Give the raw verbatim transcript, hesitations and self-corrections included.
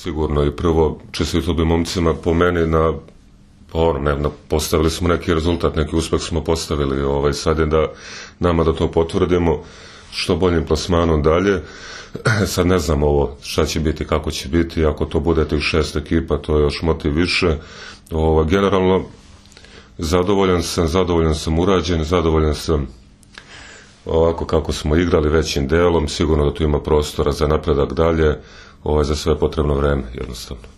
sigurno. I prvo, čestito bi momcima po meni na, ono, ne, na, postavili smo neki rezultat, neki uspeh smo postavili. Ovaj, sad je da nama da to potvrdimo što boljim plasmanom dalje. Sad ne znam ovo šta će biti, kako će biti. Ako to bude tih šest ekipa, to je još motiv više. Ovaj, generalno, zadovoljan sam, zadovoljan sam urađen, zadovoljan sam ovako kako smo igrali većim delom. Sigurno da tu ima prostora za napredak dalje, ovaj, za sve potrebno vreme, jednostavno.